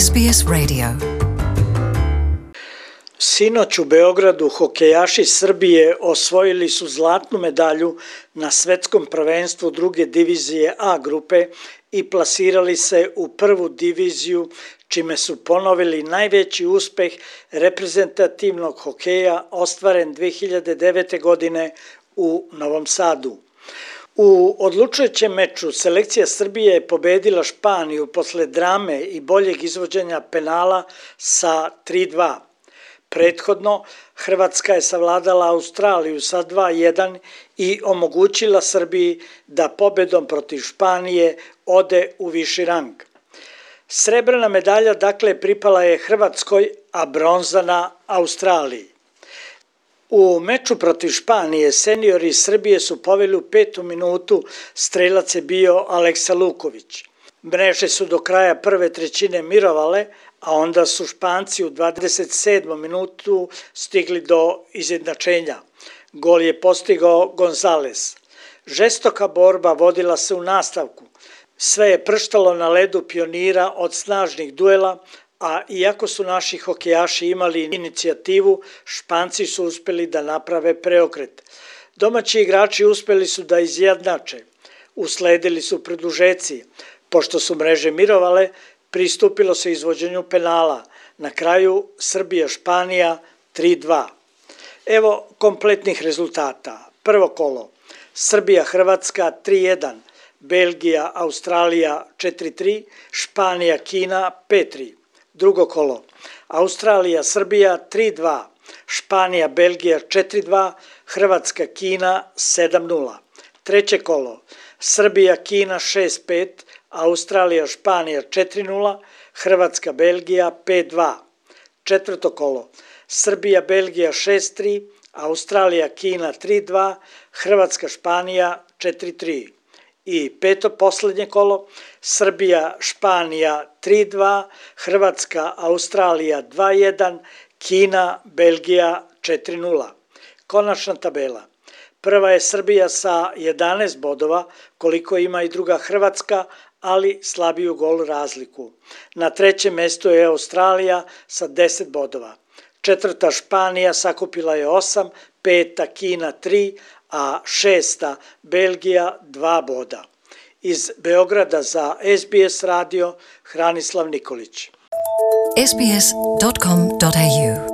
SBS Radio. Sinoć u Beogradu hokejaši Srbije osvojili su zlatnu medalju na svetskom prvenstvu druge divizije A grupe i plasirali se u prvu diviziju, čime su ponovili najveći uspeh reprezentativnog hokeja ostvaren 2009. godine u Novom Sadu. U odlučujućem meču selekcija Srbije je pobedila Španiju posle drame i boljeg izvođenja penala sa 3:2. Prethodno, Hrvatska je savladala Australiju sa 2:1 i omogućila Srbiji da pobedom protiv Španije ode u viši rang. Srebrna medalja dakle pripala je Hrvatskoj, a bronzana Australiji. U meču protiv Španije seniori Srbije su poveli u 5. minutu, strelac je bio Aleksa Luković. Mreže su do kraja prve trećine mirovale, a onda su Španci u 27. minutu stigli do izjednačenja. Gol je postigao Gonzales. Žestoka borba vodila se u nastavku. Sve je prštalo na ledu Pionira od snažnih duela, a iako su naši hokejaši imali inicijativu, Španci su uspeli da naprave preokret. Domaći igrači uspeli su da izjednače. Usledili su produžeci. Pošto su mreže mirovale, pristupilo se izvođenju penala. Na kraju Srbija-Španija 3:2. Evo kompletnih rezultata. Prvo kolo. Srbija-Hrvatska 3:1. Belgija-Australija 4:3. Španija-Kina 5:3. Drugo kolo. Australija-Srbija 3:2. Španija-Belgija 4:2. Hrvatska-Kina 7:0. Treće kolo. Srbija-Kina 6:5. Australija-Španija 4:0. Hrvatska-Belgija 5:2. Četvrto kolo. Srbija-Belgija 6:3. Australija-Kina 3:2. Hrvatska-Španija 4:3. I peto poslednje kolo, Srbija-Španija 3:2, Hrvatska-Australija 2:1, Kina-Belgija 4:0. Konačna tabela. Prva je Srbija sa 11 bodova, koliko ima i druga Hrvatska, ali slabiju gol razliku. Na trećem mestu je Australija sa 10 bodova. Četvrta Španija sakupila je 8, peta Kina 3, a šesta Belgija 2 boda. Iz Beograda za SBS radio Hranislav Nikolić. sbs.com.au